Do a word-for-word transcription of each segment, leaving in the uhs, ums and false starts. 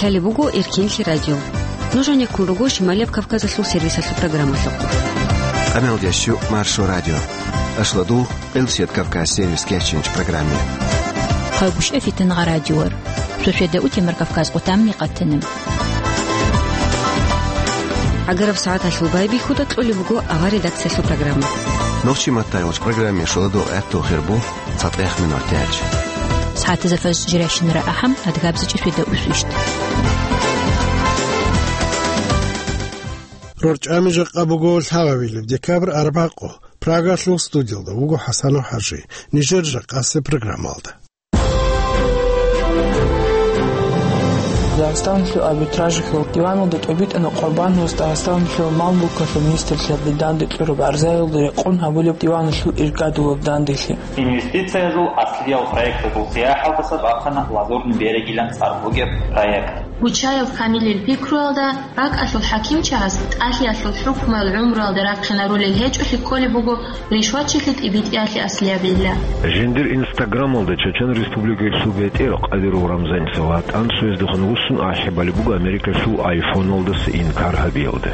Лъалеб буго Эркенлъи радио. Нуж гьанеккун руго Шималияб Кавказалъул сервисалъул программалъухъ. Къамелдящу Маршо радио. Ашладул, Къилсият Кавказ сервис кечинч программе. Хъагуш эфитан гъа радиор. Сосведа утемар Кавказ къутамни къатанам. Агараб сагӀаталъул байбихьуда кьолеб буго авар редакциялъул программа. Нохчи маттайгъоч программе шуладу гӀатту хирбу. ЦатӀех минут тяч. СагӀатазда фаз жиращинара ахӀам, адгабзичӀи фида усвищт. РорчӀами жакъа буго лъабабилеб декабрь арбакъо. Прагалъул студиялда вуго ХӀасанов ХӀажи. Нижер жакъасе программалда. Дагъистаналъул арбитражалъул диваналда тӀобитӀана Къурбановас Дагъистаналъул мал-мулкалъул министрлъиялде данде кьураб гӀарзаялда рекъон гьабулеб диваналъул иргадулаб данделъи. Инвестициязул аслиял проектазул сияхӀалдаса бахъана Лазурный берегилан цӀар бугеб проект. Гучаев Камилил пикруялда, ракӀалъул хӀакимчагӀаз тӀалъиялъул хӀукмуял гӀумруялда рахъинарулел гьечӀолъи кколеб буго ришватчилъи тӀибитӀиялъе аслиябилла. Жиндир Инстаграмалда Чечен Республикалъул бетӀер Къадиров Рамзаница ватӀан цояздехун вуссун ахӀи балеб буго Америкалъул айфоналдаса инкар гьабиялда.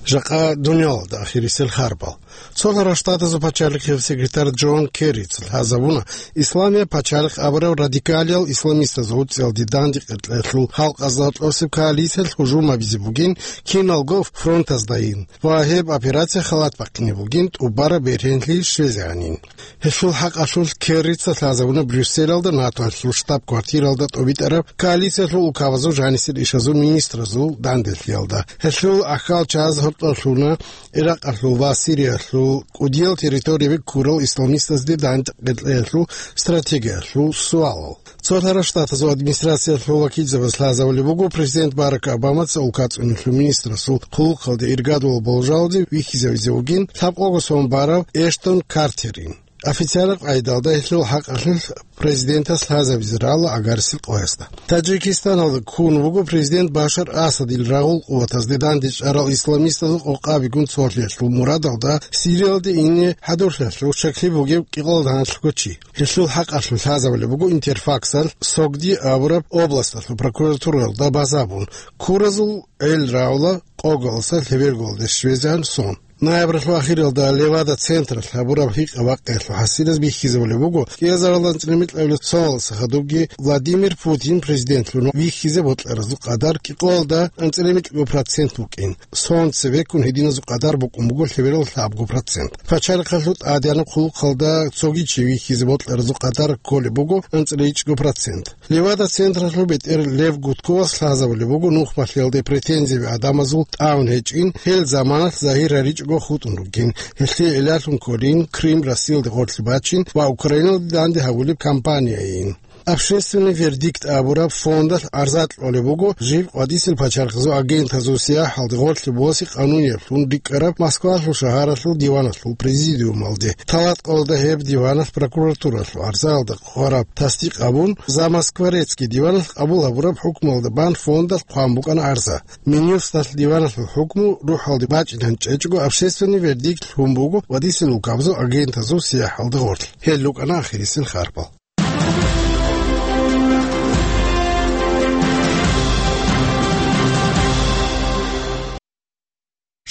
Жакъа дуниялалда ахирисел харбал. Цолъарал Штатазул пачалихъияв секретарь Джон Керрица лъазабуна, Исламияб пачалихъ абураб радикалиял исламистазул гӀуцӀиялде данде кьекьеялъул халкъазда гьоркьосеб коалициялъ гьужум гьабизе бугин киналго фронтаздайин ва гьеб операция халат бахъине бугин тӀубараб бергьенлъи щвезегӀанин. Гьелъул хӀакъалъулъ Керрица лъазабуна Брюсселалда НАТОялъул штаб-квартиралда тӀобитӀараб коалициялъул улкабазул жанисел ишазул министразул данделъиялда. Гьелъул ахьал чагӀаз гьоркьор лъуна Иракъалъул ва Сириялъул кӀудиял территорияби ккурал исламистазде данде кьекьеялъул стратегиялъул суалал. Цолъарал Штатазул администрациялъул вакилзабаз лъазабулеб буго президент Барак Обамаца улкацӀуналъул министрасул хъулухъалде иргадулаб болжалде вихьизавизе вугин лъабкъого сон барав Эштон Картерин. Официальный къайдалда гьелъул хӀакъалъулъ президентас лъазабизе рала агарисел къоясда. Таджикистаналда ккун вуго президент Башар Асадил рагъул къуватазде дандечӀарал исламистазул къокъабигун цолъиялъул мурадалда Сириялде ине хӀадурлъиялъул щаклъи бугев кӀикъоялда гьанлъго чи. Гьелъул хӀакъалъулъ лъазабулеб буго Интерфаксалъ Согди абураб областалъул прокуратуралда базабун, ккуразул гӀел рагӀула къогалъуса лъеберголде щвезегӀан сон. Ноябралъул ахиралда Левада централъ гьабураб гьикъа-бакъиялъул хӀасилаз бихьизабулеб буго кӀиазаралда анцӀила микьабилеб соналдаса хадубги Владимир Путин президентлъун вихьизе бокьаразул къадар кӀикъоялда анцӀила микьго процент букӀин. Сон цебеккун гьединазул къадар букӀун буго лъеберал лъабго процент. Пачалихъалъул тӀадегӀанаб хъулухъалда цоги чи вихьизе бокьаразул къадар кколеб буго анцӀила ичӀго процент. Левада централъул бетӀер Лев Гудковас лъазабулеб буго нухмалъиялде претензияби гӀадамазул тӀагӀун гьечӀин, гьел заманалъ загьир гьаричӀого хутӀун ругин, гьелъие гӀиллалъун кколин Крым Россиялде гъорлъе бачин ва Украиналде данде гьавулеб кампанияйин. Общественный вердикт абураб фондалъ гӀарза кьолеб буго жиб къватӀисел пачалихъазул агентазул сияхӀалде гъорлъе босе къанунияб лъун рикӀкӀараб Москвалъул шагьаралъул диваналъул президиумалде. Талат къолда гьеб диваналъ прокуратуралъул гӀарзаялда хъвараб тасдикъ абун, Замоскворецкий диваналъ къабул гьабураб хӀукмуялда бан фондалъ хъван букӀана гӀарза. Минюсталъ диваналъул хӀукму рухӀалде бачӀинан чӀечӀого общественный вердикт лъун буго ва диселул кабзу агентазул сияхӀалда гъорлъ. Гьел рукӀана ахирисел харпал.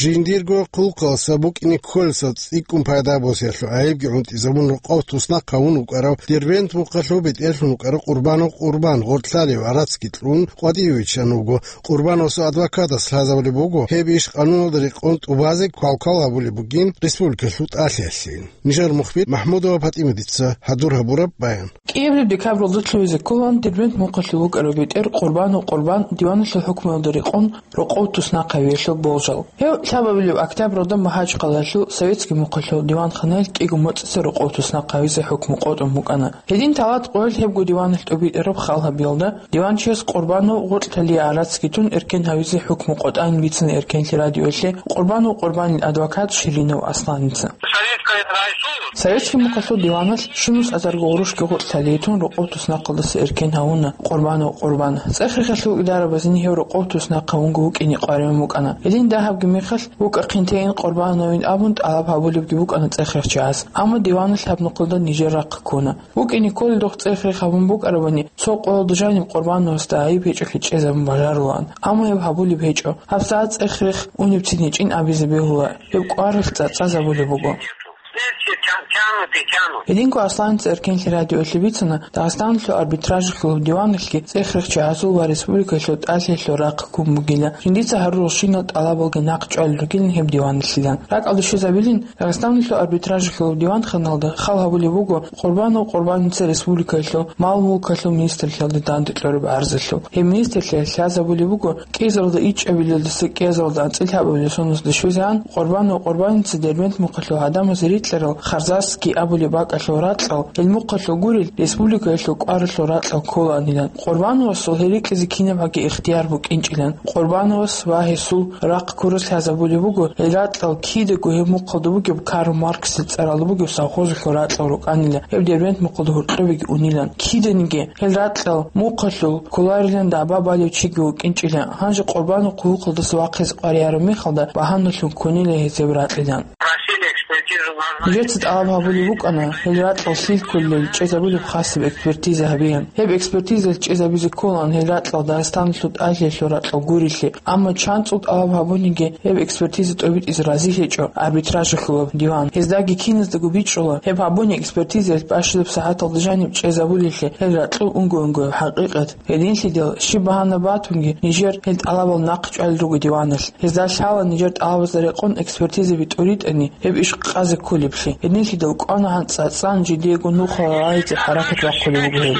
Жиндирго хъулухъалса букӀине кколесда цӀикӀкӀун пайда босиялъул гӀайибги гӀунтӀизабун рокъов туснахъ гьавун вукӀарав Дербент мухъалъул бетӀерлъун вукӀарав Къурбанов Къурбан гъоркьлъалев гӀарацги кьун къватӀиве виччан вуго. Къурбановасул адвокатас лъазабулеб буго, гьеб иш къануналда рекъон тӀубазе квалквал гьабулеб бугин республикалъул тӀалъиялъе. Нижер мухбир МахӀмудова ПатӀиматица хӀадур гьабураб баян. КӀиабилеб декабралда лъугьизе кколаан Дербент мухъалъул вукӀарав бетӀер Къурбанов Къурбан диваналъул хӀукмуялда рекъон рокъов туснахъ гьавиялъул болжал. Гьев лъабабилеб октябралда МахӀачхъалаялъул Советский мухъалъул диванханаялъ кӀиго моцӀица рокъов туснахъ гьавизе хӀукму къотӀун букӀана. Гьедин талат къоялъ гьебго диваналъ тӀубитӀараб хал гьабиялда, диванчияс Къурбанов гъоркьлъалие гӀарацги тун эркен гьавизе хӀукму къотӀанин бицана Эркенлъи радиоялъе Къурбанов Къурбанил адвокат Ширинов Асланица. Советский мукъалъул диваналъ щунус азарго гъурущги гъоркьлъалие тун рокъов туснахъалдаса эркен гьавуна Къурбанов Къурбан. ЦӀехихъалъул идарабазни гьев рокъов туснахъ гьавунго вукӀине къваригӀун букӀана. Гьедин дагьабги мехалъ вукӀахъинтейин Къурбановин абун тӀалаб гьабулебги букӀана цӀех-рехчияс. Амма диваналъ гьаб нухъалда нижер рахъ ккуна. ВукӀине кколелдухъ цӀех-рех гьабун букӀарабани, цо къоялда жаниб Къурбановасда гӀайиб гьечӀолъи чӀезабун бажарулаан. Амма гьеб гьабулеб гьечӀо. ГьабсагӀат цӀех-рех унебцин гьечӀин абизе бегьула. Гьеб кӀваралъ цӀа-, цӀа-, цӀацӀазабулеб буго. Гьединго Асланица Эркенлъи радиоялъе бицана, Дагъистаналъул арбитражалъул диваналъги цӀех-рехчи гӀазул ва республикалъул тӀалъиялъул рахъ ккун бугила. Жиндица гьарурал щинал тӀалабалги нахъ чӀвалел ругилан гьеб диваналъилан. РакӀалде щвезабилин, Дагъистаналъул арбитражалъул диванханалда хал гьабулеб буго Къурбанов Къурбаница республикалъул мал-мулкалъул министрлъиялде данде кьураб гӀарзалъул. Гьеб министрлъиялъ лъазабулеб буго кӀиязалда ичӀабилелдаса кӀиязалда анцӀила гьабулел соналда щвезегӀан Къурбанов Къурбаница Дербент мухъалъул гьадамазе рикьарал Харзасский абулеб бакӀалъул ракьал, гьел мухъалъул гурел, республикаялъул кӀваралъул ракьал кколаанилан. Къурбановасул гьел рикьизе кинабгӀаги ихтияр букӀинчӀилан. Къурбановас ва гьесул рахъ ккурас лъазабулеб буго, гьел ракьал кидаго гьеб мухъалда бугеб Карл Марксил цӀаралда бугеб совхозалъул ракьал рукӀанила, гьеб Дербент мухъалда гьоркьобеги унилан. Киданиги гьел ракьал мухъалъул кколарилан дагӀба балев чиги вукӀинчӀила. Гьанже Къурбанов хъулухъалдаса вахъизе къваригӀараб мехалда багьаналъун ккунила гьез гьеб ракьилан. Нижеца тӀалаб гьабулеб букӀана, гьел ракьал лъил кколел чӀезабулеб хасаб экспертиза гьабеян. Гьеб экспертизалъ чӀезабизе кколаан гьел ракьал Дагъистаналъул тӀалъиялъул ракьал гурелъи. Амма чанцӀул тӀалаб гьабуниги, гьеб экспертиза тӀобитӀизе разилъичӀо арбитражалъулаб диван. Гьездаги киназдаго бичӀчӀула, гьеб гьабуни экспертизаялъ бащадаб сагӀаталда жаниб чӀезабулелъи гьел ракьул унго-унгояб хӀакъикъат. Гьединлъидал щиб багьана батунги, нижер гьел тӀалабал нахъ чӀвалел руго диваналъ. Гьезда лъала нижер тӀалабазда рекъон экспертизаби тӀуритӀани, гьеб иш къазе кколеблъи. Гьединлъидал кӀвана гьанцӀ цӀацӀан жидеего нухал рагӀизе хӀаракат бахъулеб буго гьеб.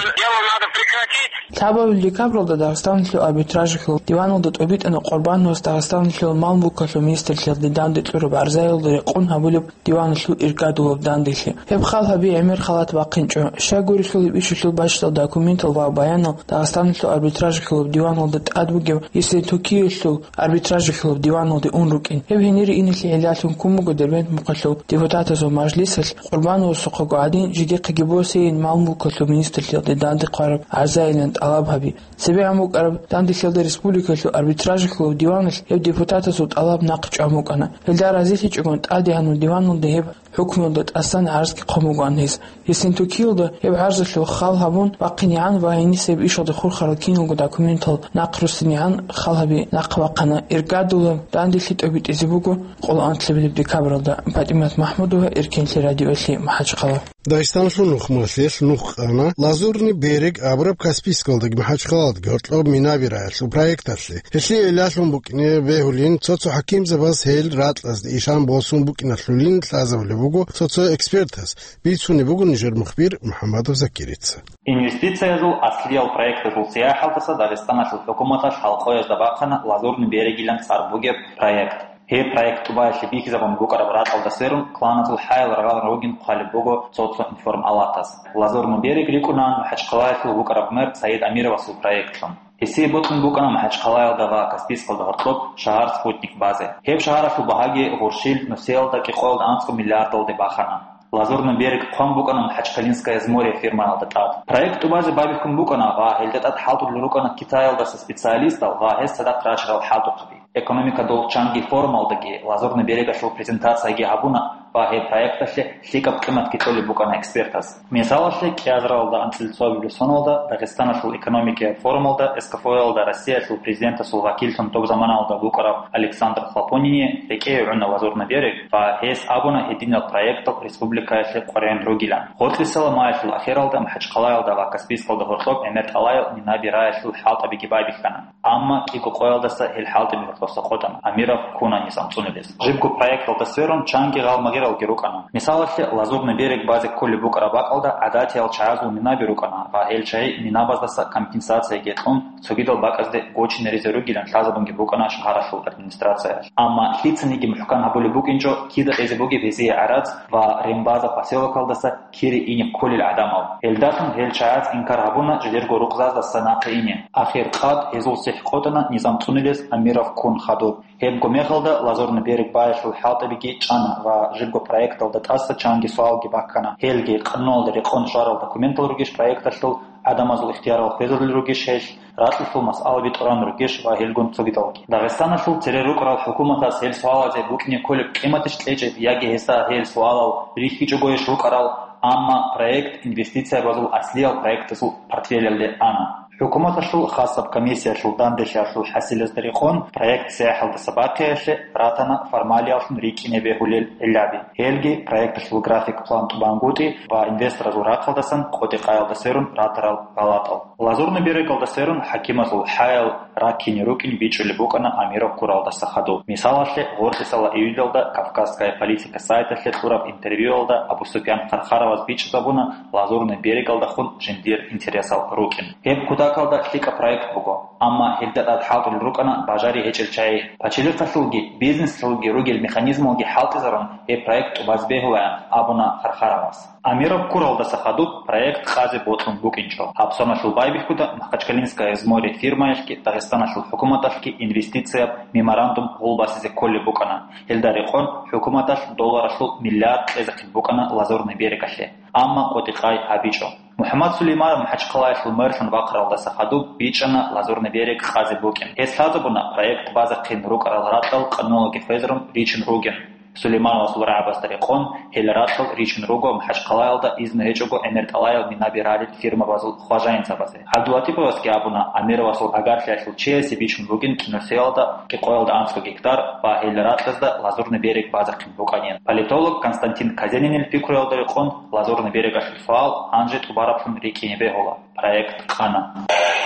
Лъабабилеб декабралда Дагъистаналъул арбитражалъул диваналда тӀобитӀана Къурбановас Дагъистаналъул мал-мулкалъул министрлъиялде данде кьураб гӀарзаялда рекъон гьабулеб диваналъул иргадулаб данделъи. Гьеб хал гьаби гӀемер халат бахъинчӀо. Щай гурелъул гьеб ишалъул бащдал документал ва баянал Дагъистаналъул арбитражалъулаб диваналда тӀад бугеб Ессентукиялъул арбитражалъулаб диваналде ун рукӀин. Гьеб гьенире инелъе гӀиллалъун ккун буго Дербент мухъалъул депутатазул мажлисалъ Къурбановасухъего гӀадин жидехъеги босейин мал-мулкалъул министрлъиялде данде хъвараб гӀарзайилан тӀалаб гьаби. ЦебегӀан букӀараб данделъиялда республикалъул арбитражалъулаб диваналъ гьеб депутатазул тӀалаб нахъ чӀван букӀана. Гьелда разилъичӀогун тӀаде гьанул диваналда гьеб хӀукмуялда тӀасан гӀарзги хъван бугоан гьез. Ессентукиялда гьеб гӀарзалъул хал гьабун бахъинегӀан ва гьениса гьеб ишалде хурхарал киналго документал нахъ руссинегӀан хал гьаби нахъ бахъана. Иргадулаб данделъи тӀобитӀизе буго къоло анлъабилеб декабралда. ПатӀимат МахӀмудова, Эркенлъи радиоялъе, МахӀачхъала. Дагъистаналъул нухмалъелъ нух къана Лазурный берег абураб Каспийскалдаги МахӀачхъалалдаги гьоркьоб Минаби рагӀиялъул проекталъе. Гьелъие гӀиллалъун букӀине бегьулин, цо-цо хӀакимзабаз гьел ракьазде ишан босун букӀиналъулин лъазабулеб буго цо-цо экспертаз, бицунеб буго нижер мухбир МухӀаммадов Закирица. Инвестициязул аслиял проектазул сияхӀалдаса Дагъистаналъул хӀукуматалъ халкъоязда бахъана Лазурный берегилан цӀар бугеб проект. Гьеб проект тӀубаялъе бихьизабун букӀараб ракьалда сверун, кланазул хӀаял рагъалан ругин хъвалеб буго цо-цо информалатаз. Лазурный берег рикӀкӀунаан МахӀачхъалаялъул вукӀараб мэр Саид Амировасул проектлъун. Гьесие бокьун букӀана МахӀачхъалаялда ва Каспийскалда гьоркьоб шагьар Спутник базе. Гьеб шагьаралъул багьаги гъурщил нусиялда кӀикъоялда анцӀго миллиардалде бахана. Лазурный берег хъван букӀана Махачкалинское море фирмаялда тӀад. Проект тӀубазе байбихьун букӀана ва гьелда тӀад хӀалтӀулел рукӀана Китаялдаса специалистал ва гьез цадахъ рачарал хӀалтӀухъаби. Экономикадул чанги форумалдаги Лазурный берегалъул презентацияги гьабуна ва гьеб проекталъе лъикӀаб къиматги кьолеб букӀана экспертаз. Мисалалъе, кӀиазаралда анцӀила цоабилеб соналда Дагъистаналъул экономикияб форумалда СКФО-ялда Россиялъул президентасул вакиллъун доб заманалда вукӀарав Александр Хлопонине рекӀее гӀуна Лазурный берег ва гьес абуна гьединал проектал республикаялъе къваригӀун ругилан. Гъоркьисала маялъул ахиралда Махачкъалаялда ва Каспийскалда гьоркьоб гӀемер тӀалаял Минаби рагӀиялъул хӀалтӀабиги байбихьана. Амма кӀиго къоялдаса гьел хӀалтӀаби гьоркьоса къотӀана, Амиров ккуна низам цӀунулес. Жибго проекталда сверун чанги гъалмагъиралги рукӀана. Мисалалъе, Лазурный берег базе кколеб букӀараб бакӀалда гӀадатиял чагӀазул минаби рукӀана ва гьел чагӀи минабаздаса компенсацияги кьун, цогидал бакӀазде гочинаризе ругилан лъазабунги букӀана шагьаралъул администрациялъ. Амма лъицаниги мухӀкан гьабулеб букӀинчӀо, кида кьезе бугеб гьезие гӀарац ва Рембаза поселокалдаса кире ине кколел гӀадамал. Гьелдалъун гьел чагӀаз инкар гьабуна жидерго рукъзаздаса нахъе ине. Ахир къад гьезул сихӀ къотӀана низам цӀунулес Амиров ккун хадуб. Гьебго мехалда Лазурный берег баялъул хӀалтӀабиги чӀана ва жибго проекталда тӀаса чанги суалги баккана. Гьелги къануналда рекъон щварал документал ругищ проекталъул гӀадамазул ихтиярал хвезарулел ругищ гьелъ, ракьалъул масъалаби тӀуран ругищ ва гьелгун цогидалги. Дагъистаналъул цере рукӀарал хӀукуматас гьел суалазе букӀине кколеб къиматищ кьечӀеб яги гьесда гьел суалал рихьичӀогойищ рукӀарал, амма проект инвестициябазул аслиял проектазул портфелялде ана. ХӀукуматалъул хасаб комиссиялъул данделъиялъул хӀасилазда рекъон, проект цӀехӀалдаса бахъиялъе ратана формалияллъун рикӀкӀине бегьулел гӀиллаби. Гьелги проекталъул график-план тӀубангутӀи ва инвесторазул рахъалдасан къотӀи-къаялда сверун ратарал гъалатӀал. Лазурный берегалда сверун хӀакимазул хӀаял раккине рукӀин бичӀчӀулеб букӀана Амиров ккуралдаса хадуб. Мисалалъе, гъоркьисала июльалда Кавказская политика сайталъе кьураб интервьюялда Абу Суфьян Хархаровас бичӀчӀизабуна Лазурный берегалдахун жиндир интересал рукӀин. Гьеб кутакалда лъикӀаб проект буго, амма гьелда тӀад хӀалтӀулел рукӀана бажари гьечӀел чагӀи. Пачалихъалъулги бизнесалъулги ругел механизмалги хӀалтӀизарун, гьеб проект тӀубазе бегьулаан, абуна Хархаровас. Амиров ккуралдаса хадуб проект къазе бокьун букӀинчӀо. Гьабсаналъул байбихьуда Махачкалинское взморье фирмаялъги Дагъистаналъул хӀукуматалъги инвестицияб меморандум гъулбасизе кколеб букӀана. Гьелда рекъон хӀукуматалъ долларалъул миллиард кьезехъин букӀана Лазурный берегалъе, амма къотӀи-къай гьабичӀо. МухӀаммад Сулейманов МахӀачхъалаялъул мэрлъун вахъаралдаса хадуб бичӀчӀана Лазурный берег къазе букӀин. Гьес лъазабуна проект базехъин рукӀарал ракьал къануналги хвезарун ричун ругин. Сулеймановасул рагӀабазда рекъон, гьел ракьал ричун руго МахӀачхъалаялда изну гьечӀого гӀемертӀалаял минаби ралел фирмабазул хважаинцабазе. ГӀабдулатиповасги абуна, Амировасул агарлъиялъул чиясе бичун бугин киносеялда къикъоялда анцӀго гектар ва гьел ракьазда Лазурный берег базехъин букӀанин. Политолог Константин Казенинил пикруялда рекъон, Лазурный берегалъул суал гьанже тӀубараблъун рикӀкӀине бегьула. Проект къана.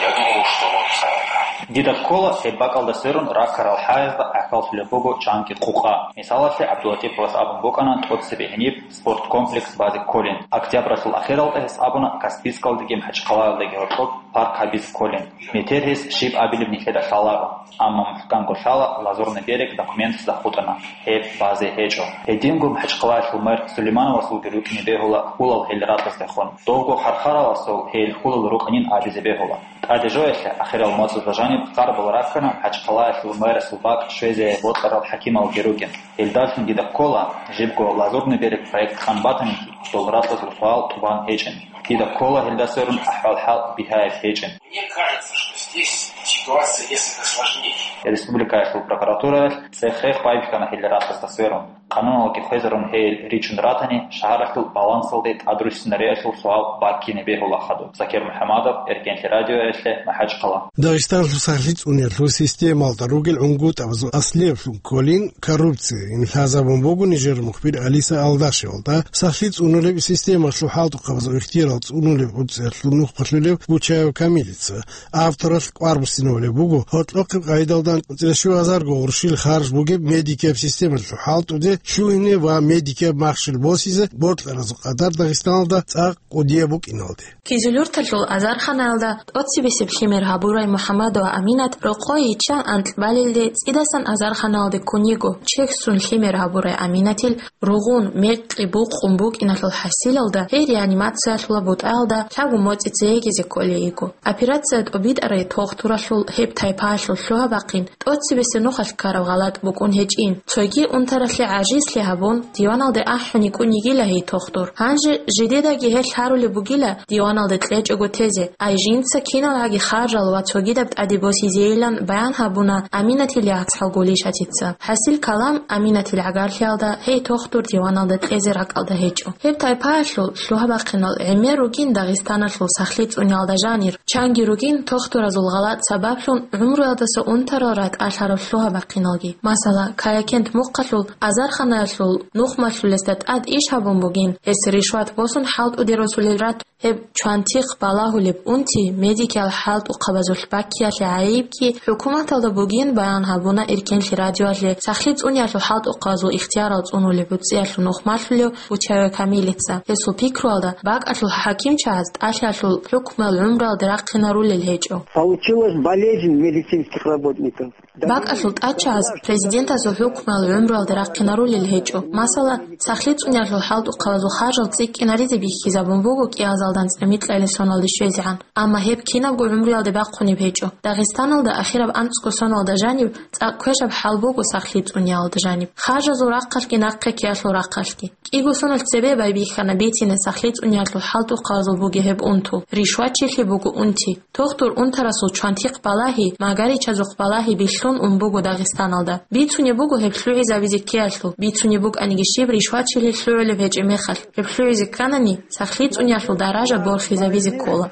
Я думал, что вот, э, Дида ккола гьеб бакӀалда сверун раккарал хӀаязда гӀахьаллъулеб буго чанги къукъа. Мисалалъе, ГӀабдулатиповас абун букӀана тӀоцебе гьениб спорткомплекс базе кколин. Октябралъул ахиралда гьес абуна Каспийскалдеги МахӀачхъалаялдеги гьоркьоб парк гьабизе кколин. Метер гьес щиб абилеб нилъеда лъаларо. Амма мухӀканго лъала, Лазурный берег документазда хутӀана, гьеб базе гьечӀо. Гьединго МахӀачхъалаялъул мэр Сулеймановасулги рукӀине бегьула хьулал гьел ракьаздехун. Довго Хархаравасул гьел хьулал рукӀанин абизе бегьула. ТӀаде жоялъе, ахирал моцӀазда жаниб хъарбал раккана МахӀачхъалаялъул мэрасул бакӀ щвезе бокьарал хӀакималги ругин. Гьелдалъун дида ккола, жибго Лазурный берег проект къан батаниги, дол ракьазул суал тӀубан гьечӀин. Дида ккола гьелда сверун ахӀвал-хӀал бигьаяб гьечӀин. Мне кажется, что здесь ситуация несколько сложнее. Республикаялъул прокуратураялъ цӀех-рех байбихьана гьел ракьазда сверун. Къануналги хвезарун гьел ричун ратани, шагьаралъул балансалде тӀадруссинариялъул суал баккине бегьула хадуб. Закир МухӀамадов, Эркенлъи радиоялъе, МахӀачхъала. Дагъистаналъул сахлъи цӀуниялъул системалда ругел гӀунгутӀабазул аслиялъун кколин коррупция. Ин лъазабун буго нижер мухбир Алиса Алдашевалда, сахлъи цӀунулеб системалъул хӀалтӀухъабазул ихтиярал цӀунулеб гӀуцӀиялъул нухмалъулев Бучаев Камилица. Авторалъ кӀвар буссинабулеб буго гьоркьохъеб къайдалда анцӀила щугьазарго гъурщил харж бугеб медикияб системалъул хӀалтӀуде лъугьине ва медикияб махщел босизе бокьаразул къадар Дагъистаналда цӀакъ кӀудияб букӀиналде. Кизилюрталъул азарханаялда тӀоцебесеб лъимер гьабурай МухӀаммадова Аминат рокъой йиччан анкь балелде цӀидасан азарханалде ккун йиго. Чехьсун лъимер гьабурай Аминатил ругъун, мекъи букъун букӀиналъул хӀасилалда гьей реанимациялъула бутӀаялда лъабго моцӀи цеегизе кколей йиго. Операция тӀобитӀарай тохтуралъул гьеб тайпаялъул лъугьа-бахъин тӀоцебесеб нухалъ ккараб гъалатӀ букӀун гьечӀин. Цоги унтаралъе гӀажизлъи гьабун, диваналде ахӀун йикӀун йигила гьей тохтур. Гьанже жидедаги гьелъ гьарулеб бугила диваналде кьечӀого тезе, ай жинца киналгӀаги харжал ва цогидаб тӀаде босизейилан баян гьабуна Аминатил яцӀцӀал Гулишатица. ХӀасил калам Аминатил гӀагарлъиялда гьей тохтур диваналда кьезе ракӀалда гьечӀо. Гьеб тайпаялъул лъугьа-бахъинал гӀемер ругин Дагъистаналъул сахлъи цӀуниялда жанир. Чанги ругин тохтуразул гъалатӀ сабаблъун гӀумруялдаса унтарал ратӀалъараб лъугьа-бахъиналги. Масала, Каякент мухъалъул азарханаялъул нухмалъулесда тӀад иш гьабун бугин, гьес ришват босун хӀалтӀуде росулел ратун. Гьеб чвантихъ балагьулеб унти медикиял хӀалтӀухъабазулъ баккиялъе гӀайибги хӀукуматалда бугин баян гьабуна Эркенлъи радиоялъе сахлъи цӀуниялъул хӀалтӀухъабазул ихтиярал цӀунулеб гӀуцӀиялъул нухмалъулев Бучаев Камилица. Гьесул пикруялда, бакӀалъул хӀакимчагӀаз тӀалъиялъул хӀукмуял гӀумруялде рахъинарулел гьечӀо. Получилась болезнь медицинских работников. БакӀалъул тӀадчагӀаз президентазул хӀукмуял гӀумруялда рахъинарулел гьечӀо. Масала, сахлъи цӀуниялъул хӀалтӀухъабазул харжал цӀикӀкӀинаризе бихьизабун буго кӀиазалда анцӀила микьайилан соналде щвезегӀан. Амма гьеб кинабго гӀумруялде бахъунеб гьечӀо. Дагъистаналда ахираб анцӀго соналда жаниб цӀакъ квешаб хӀал буго сахлъи цӀуниялда жаниб. Харжазул рахъалъги нахъе ккеялъул рахъалъги. КӀиго соналъ цебе байбихьана бицине сахлъи цӀуниялъул хӀалтӀухъабазул бугеб гьеб унтул. Ришвачилъи буго унти. Тохтур унтарасул чвантихъ балагьи, магаричазухъ балагьи бихьун ун буго Дагъистаналда. Бицунеб буго гьеб лъугӀизабизе ккеялъул, бицунеб букӀаниги щиб ришвачилъи лъугӀулеб гьечӀеб мехалъ, гьеб лъугӀизе кканани, сахлъи цӀуниялъул даража борхизабизе ккола.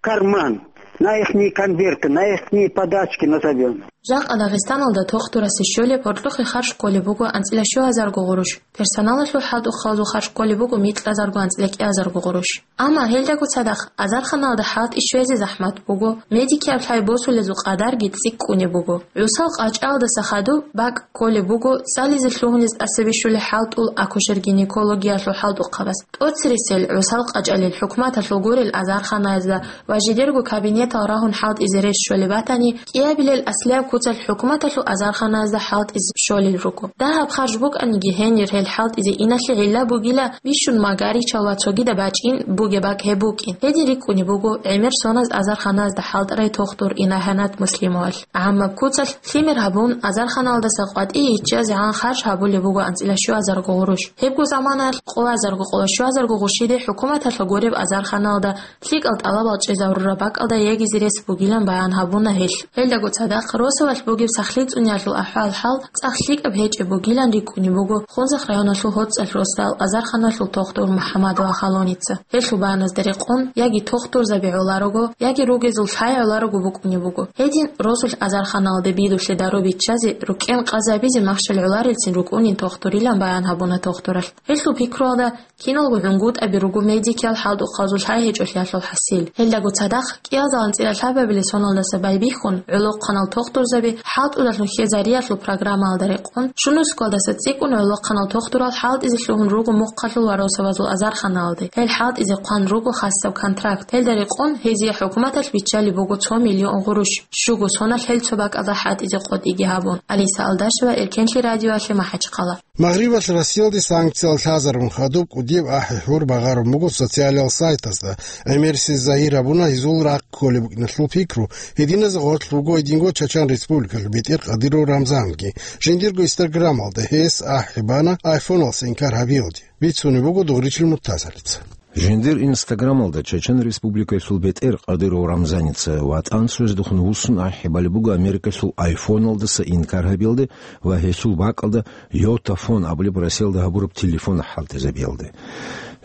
Карман, на ихние конверты, на ихние подачки назовём. Жакъа Дагъистаналда тохтурасе щолеб гьоркьохъе харж кколеб буго анцӀила щугьазарго гъурущ, персоналалъул хӀалтӀухъабазул харж кколеб буго микьазарго анцӀила кӀиазарго гъурущ. Амма гьелдаго цадахъ азарханалда хӀалтӀи щвезе захӀмат буго, медикияб лъай босулезул къадарги цӀикӀкӀунеб буго. ГӀусал къачӀалдаса хадуб бакӀ кколеб буго цӀализе лъугьунез тӀаса бищулел хӀалтӀул акушер-гинекологиялъул хӀалтӀухъабаз. ТӀоцересел гӀусал къачӀалил хӀукуматалъул гурел азарханаязда ва жидерго кабинетал рагьун хӀалтӀизе рес щолеб батани, кӀиабилел аслияб куцалъ хӀукуматалъул азарханаязда хӀалтӀизе щолел руго. Дагьаб харж букӀаниги гьенир гьел хӀалтӀизе иналъе гӀилла бугила бищун магаричал ва цогидаб бачӀин бугеб бакӀ гьеб букӀин. Гьедин рикӀкӀунеб буго гӀемер соназ азарханаязда хӀалтӀарай тохтур Инагьанат Муслимовалъ. ГӀаммаб куцалъ лъимер гьабун, азарханалдаса къватӀие иччазегӀан харж гьабулеб буго анцӀила щуазарго гъурущ. Гьебго заманаялъ къоазарго-къоло щуазарго гъурщиде хӀукуматалъа гуреб азарханалда лъикӀал тӀалабал чӀезарураб бакӀалда ягизе рес бугилан баян гьабуна гьелъ. Гьелдаго цадахъ росулалъ бугеб сахлъи цӀуниялъул ахӀвал-хӀал цӀакъ лъикӀаб гьечӀеб бугилан рикӀкӀунеб буго Хунзахъ районалъул ГьоцӀалъ росдал азарханалъул тохтур МухӀаммадова Халоница. Гьелъул баяназда рекъон, яги тохтурзаби гӀоларого, яги ругезул лъай гӀоларого букӀунеб буго. Гьедин росулъ азарханалде бидулъе дару биччазе, рукӀен къазабизе махщел гӀоларелцин рукӀунин тохтурилан баян гьабуна тохтуралъ. Гьелъул пикруялда, киналго гӀунгутӀаби руго медикиял хӀалтӀухъабазул лъай гьечӀолъиялъул хӀасил. Гьелдаго цадахъ, кӀиазал анцӀила лъабабилеб соналдаса байбихьун, гӀолохъанал тохтурзаби хӀалтӀудалъун хьезариялъул программаялда рекъон, щунусгалдаса цӀикӀкӀун гӀолохъанал тохтурал хӀалтӀизе лъугьун руго мухъалъул ва росабазул азарханалде. Гьел хӀалтӀизе хъван руго хасаб контракт. Гьелда рекъон гьезие хӀукуматалъ биччалеб буго цо миллион гъурущ, щуго соналъ гьел цо бакӀалда хӀалтӀизе къотӀиги гьабун. Алиса Алдашева, Эркенлъи радиоялъе, МахӀачхъала. Магърибалъ Россиялде санкциял лъазарун хадуб кӀудияб ахӀи-хӀур багъарун буго социалиял сайтазда. ГӀемерисез загьир гьабуна гьезул рахъ кколеб букӀиналъул пикру, гьединаз гъорлъ вуго гьединго Чачан Республикалъ бетӀер Кадыров Рамзанги. Жиндирго Инстаграмалда гьес ахӀи бана айфоналъ инкар гьабиялде. Бицунеб буго Дугъричил Муртазалица. Жиндир Инстаграмалда Чачан Республикалъул бетӀер Кадыров Рамзаница ВатӀан цояздехун вуссун ахӀи балеб буго Америкалъул айфоналдаса инкар гьабиялде ва гьелъул бакӀалда Йотафон абулеб Россиялда гьабураб телефон хӀалтӀизабиялде.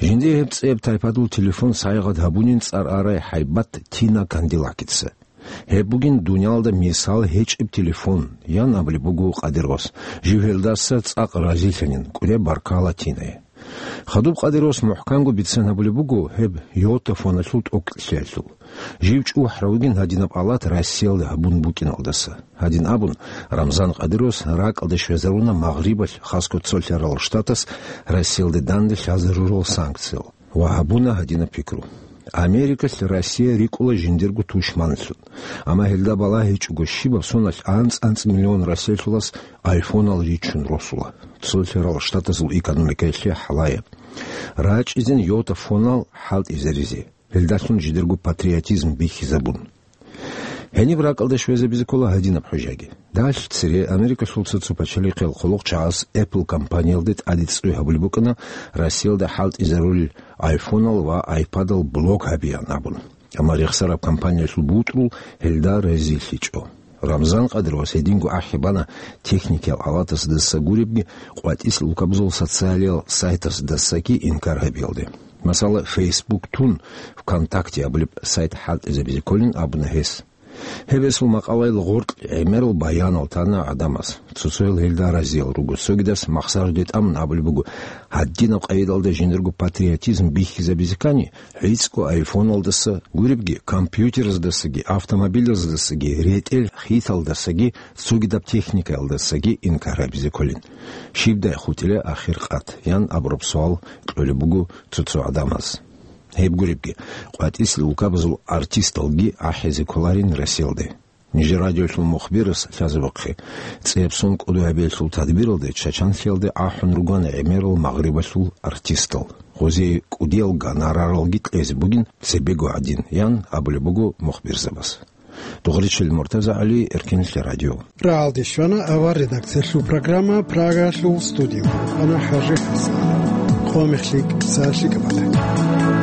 Жиндир гьеб цӀеб тайпадул телефон сайгъат гьабунин цӀар арай гьайбат Тина Кандилакица. Гьеб бугин дуниялда мисал гьечӀеб телефон, ян абулеб буго Кадыровас. Жив гьелдаса цӀакъ разилъанин, кӀудияб баркала Тинае. Хадуб Кадыровас мухӀканго бицен гьабулеб буго гьеб Йотафоналъул тӀокӀлъиялъул. Жив чӀухӀарав вугин гьадинаб алат Россиялда гьабун букӀиналдаса. Гьадин абун, Рамзан Кадыровас ракӀалде щвезаруна Магърибалъ, хасго цо лъарал штатас Россиялде данде лъазарурал санкциял ва гьабуна гьадинаб пикру: Америкалъ Россия рикӀкӀула жиндирго тушманлъун. Амма гьелда балагьичӀого щибаб соналъ анцӀ-анцӀ миллион росселъулас айфонал ричун росула, цо лъарал штатазул экономикаялъе гьалаяб. РачӀизин Йотафонал хӀалтӀизаризе, гьелдалъун жидерго патриотизм бихьизабун. Гьениб ракӀалда щвезабизе ккола гьадинаб хӀужаги. Далъ цере Америкалъул цо-цо пачалихъел хъулухъчагӀаз Apple компаниялде тӀаде цӀуй гьабулеб букӀана Россиялда хӀалтӀизарулел айфонал ва айпадал блок гьабеян абун. Амма рехсараб компаниялъул бутӀрул гьелда разилъичӀо. Рамзан Кадыровас гьединго ахӀи бана техникиял алатасдаса гуребги, къватӀис лукабзул социалиял сайтасдасаги инкар гьабиялде. Масала, Facebook тун, ВКонтакте абулеб сайт хӀалтӀизабизе кколин абуна гьес. Гьеб гьесул макъалаялъ гъоркь гӀемерал баянал тана гӀадамаз. Цо-цоял гьелда разиял руго. Цогидас махсараде тӀамун абулеб буго, гьадинаб къайдалда жиндирго патриотизм бихьизабизе ккани, гӀицӀго айфоналдаса, гуребги, компьютераздасаги, автомобилаздасаги, ретӀел хиталдасаги, цогидаб техникаялдасаги инкар гьабизе кколин. Щибдай хутӀила ахир къат, ян абураб суал кьолеб буго цо-цо гӀадамаз. Гьеб гуребги, къватӀис лукабазул артисталги ахӀизе кколарин Россиялде. Нижер радиолъул мухбирас лъазабухъе, цӀеб сон кӀудияб июлалъул тадбиралде Чачанлъиялде ахӀун ругана гӀемерал Магърибалъул артистал. Гъозие кӀудиял гонораралги кьезе бугин цебего гӀадин, ян абулеб буго мухбирзабаз. Дугъричил Муртаза ГӀали, Эркинлъи радио. РагӀалде щвана авар редакциялъул программа Прагалъул студиялда. Ана ХӀажи ХӀасан. Къо мехлъи, са лъикӀаб батӀа.